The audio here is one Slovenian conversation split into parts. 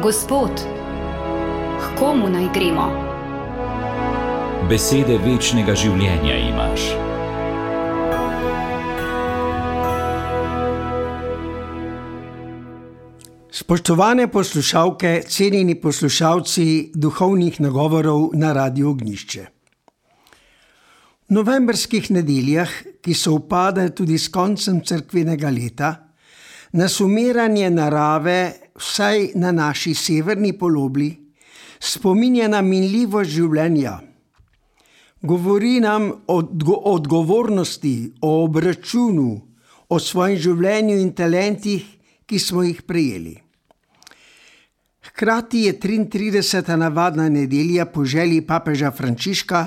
Gospod, k komu naj gremo? Besede večnega življenja imaš. Spoštovane poslušalke, cenjeni poslušalci duhovnih nagovorov na Radiu Ognjišče. V novembrskih nedeljah, ki sovpadajo tudi s koncem cerkvenega leta, nas umiranje narave, vsaj na naši severni polobli, spominja na minljivost življenja. Govori nam o odgovornosti, o obračunu, o svojem življenju in talentih, ki smo jih prejeli. Hkrati je 33. navadna nedelja po želji papeža Frančiška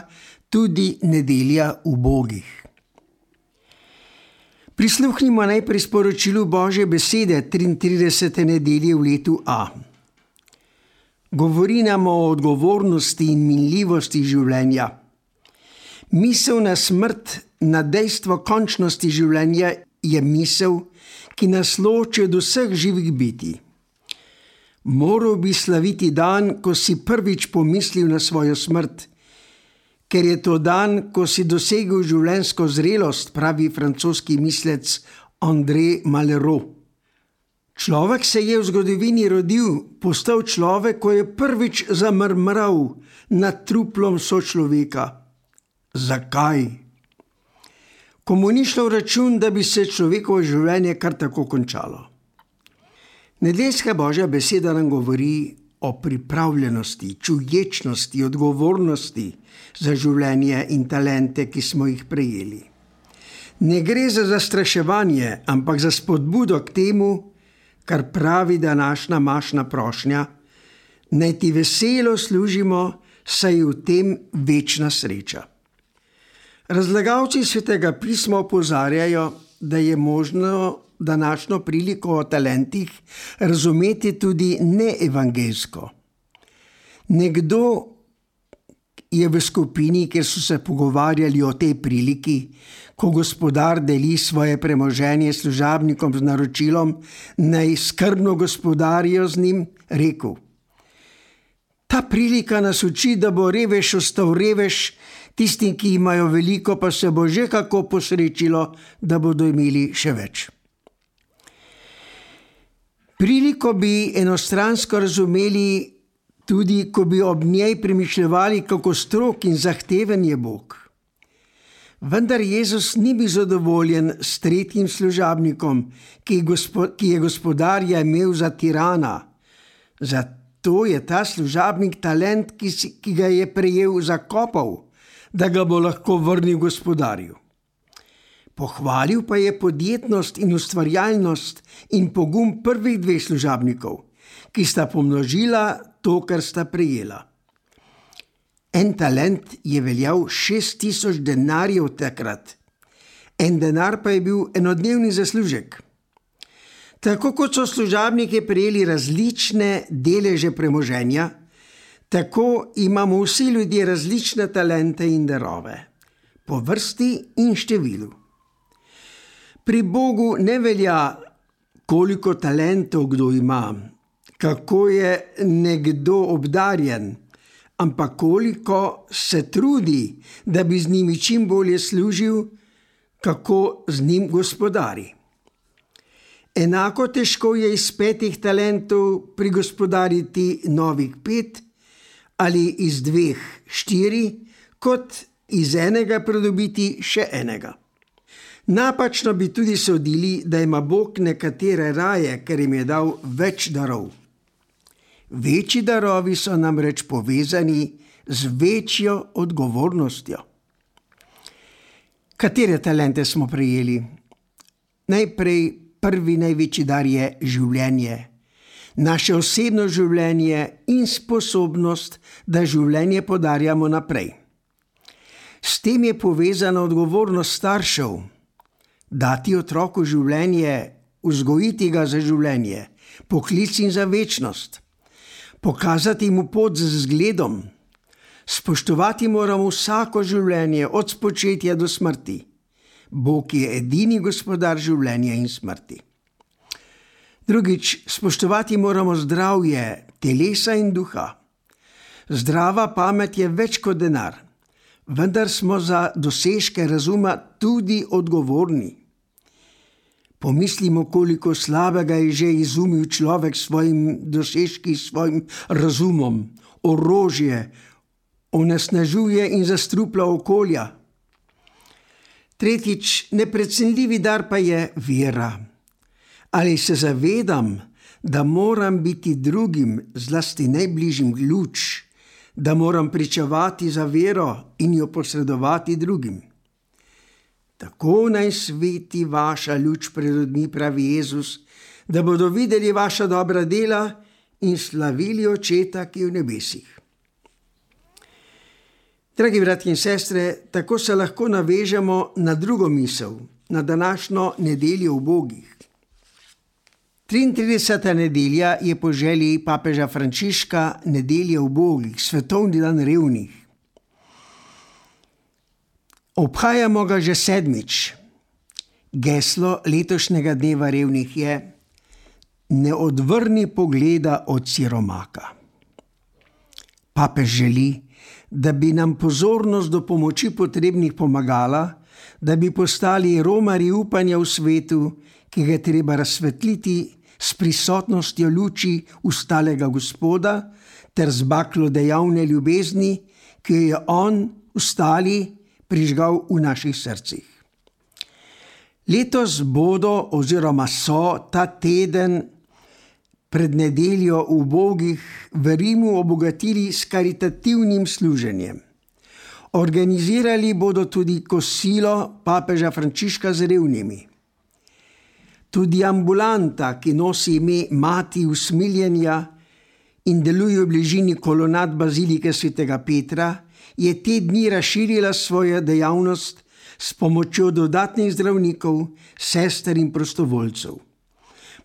tudi nedelja ubogih. Prisluhnimo najprej sporočilu Božje besede 33. nedelje v letu A. Govori nam o odgovornosti in minljivosti življenja. Misel na smrt, na dejstvo končnosti življenja je misel, ki nas loči od vseh živih bitij. Moral bi slaviti dan, ko si prvič pomislil na svojo smrt, ker je to dan, ko si dosegel življenjsko zrelost, pravi francoski mislec André Malraux. Človek se je v zgodovini rodil, postal človek, ko je prvič zamrmral nad truplom sočloveka. Zakaj? Komu ni šlo v račun, da bi se človekovo življenje kar tako končalo. Nedeljska Božja beseda nam govori o pripravljenosti, čuječnosti, odgovornosti za življenje in talente, ki smo jih prejeli. Ne gre za zastraševanje, ampak za spodbudo k temu, kar pravi današnja mašna prošnja, naj ti veselo služimo, saj je v tem večna sreča. Razlagalci Svetega pisma opozarjajo, da je možno današnjo priliko o talentih razumeti tudi neevangeljsko. Nekdo je v skupini, kjer so se pogovarjali o tej priliki, ko gospodar deli svoje premoženje služabnikom z naročilom, naj skrbno gospodarijo z njim, rekel: Ta prilika nas uči, da bo revež ostal revež, tistim, ki imajo veliko, pa se bo že kako posrečilo, da bodo imeli še več. Priliko bi enostransko razumeli tudi, ko bi ob njej premišljevali, kako strog in zahteven je Bog. Vendar Jezus ni bil zadovoljen s tretjim služabnikom, ki je gospodarja imel za tirana. Zato je ta služabnik talent, ki ga je prejel, zakopal, da ga bo lahko vrnil gospodarju. Pohvalil pa je podjetnost in ustvarjalnost in pogum prvih dveh služabnikov, ki sta pomnožila to, kar sta prejela. En talent je veljal 6000 denarjev takrat, en denar pa je bil enodnevni zaslužek. Tako kot so služabniki prejeli različne deleže premoženja, tako imamo vsi ljudje različne talente in darove, po vrsti in številu. Pri Bogu ne velja, koliko talentov kdo ima, kako je nekdo obdarjen, ampak koliko se trudi, da bi z njimi čim bolje služil, kako z njim gospodari. Enako težko je iz 5 talentov prigospodariti novih 5 ali iz 2 4, kot iz enega pridobiti še enega. Napačno bi tudi sodili, da ima Bog nekatere raje, ker jim je dal več darov. Večji darovi so namreč povezani z večjo odgovornostjo. Katere talente smo prejeli? Najprej prvi največji dar je življenje. Naše osebno življenje in sposobnost, da življenje podarjamo naprej. S tem je povezana odgovornost staršev. Dati otroku življenje, vzgojiti ga za življenje, poklic in za večnost. Pokazati mu pot z zgledom. Spoštovati moramo vsako življenje od spočetja do smrti. Bog je edini gospodar življenja in smrti. Drugič, spoštovati moramo zdravje, telesa in duha. Zdrava pamet je več kot denar, vendar smo za dosežke razuma tudi odgovorni. Pomislimo, koliko slabega je že izumil človek s svojim dosežki, s svojim razumom, orožje, onesnažuje in zastruplja okolja. Tretjič, neprecenljivi dar pa je vera. Ali se zavedam, da moram biti drugim, zlasti najbližjim, luč, da moram pričevati za vero in jo posredovati drugim. Tako naj sveti vaša luč pred ljudmi, pravi Jezus, da bodo videli vaša dobra dela in slavili Očeta, ki je v nebesih. Dragi bratje in sestre, tako se lahko navežemo na drugo misel, na današnjo nedeljo ubogih. 33. nedelja je po želji papeža Frančiška nedelja ubogih, svetovni dan revnih. Obhajamo ga že 7. Geslo letošnjega dneva revnih je: ne odvrni pogleda od siromaka. Papež želi, da bi nam pozornost do pomoči potrebnih pomagala, da bi postali romarji upanja v svetu, ki ga je treba razsvetliti s prisotnostjo luči ustalega Gospoda ter z baklo dejavne ljubezni, ki jo je on, ustali, prižgal v naših srcih. Letos bodo oziroma so ta teden pred nedeljo ubogih v Rimu obogatili s karitativnim služenjem. Organizirali bodo tudi kosilo papeža Frančiška z revnimi. Tudi ambulanta, ki nosi ime Mati usmiljenja in deluje v bližini kolonad bazilike svetega Petra, je te dni razširila svojo dejavnost s pomočjo dodatnih zdravnikov, sester in prostovoljcev.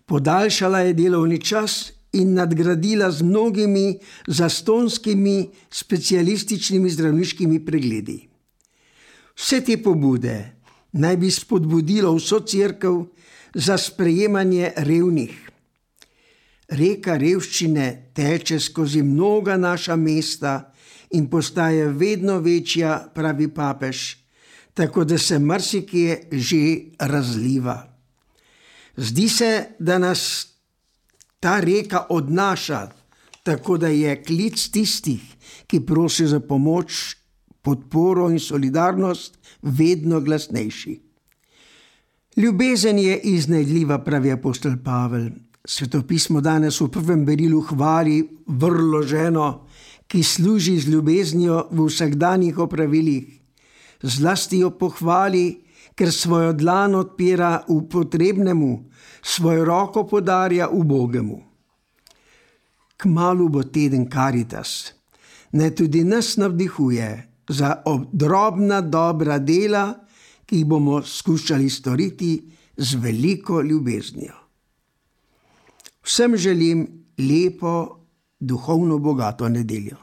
Podaljšala je delovni čas in nadgradila z mnogimi zastonskimi specialističnimi zdravniškimi pregledi. Vse te pobude naj bi spodbudilo vso cerkev za sprejemanje revnih. Reka revščine teče skozi mnoga naša mesta in postaje vedno večja, pravi papež, tako da se marsikje že razliva. Zdi se, da nas ta reka odnaša, tako da je klic tistih, ki prosijo za pomoč, podporo in solidarnost, vedno glasnejši. Ljubezen je iznajdljiva, pravi apostol Pavel. Svetopismo danes v prvem berilu hvali vrlo ženo, ki služi z ljubeznijo v vsakdanjih opravilih. Zlasti jo pohvali, ker svojo dlan odpira v potrebnemu, svojo roko podarja ubogemu. Kmalu bo teden Karitas. Naj tudi nas navdihuje za drobna dobra dela, ki jih bomo skušali storiti z veliko ljubeznijo. Vsem želim lepo, duhovno bogato nedeljo.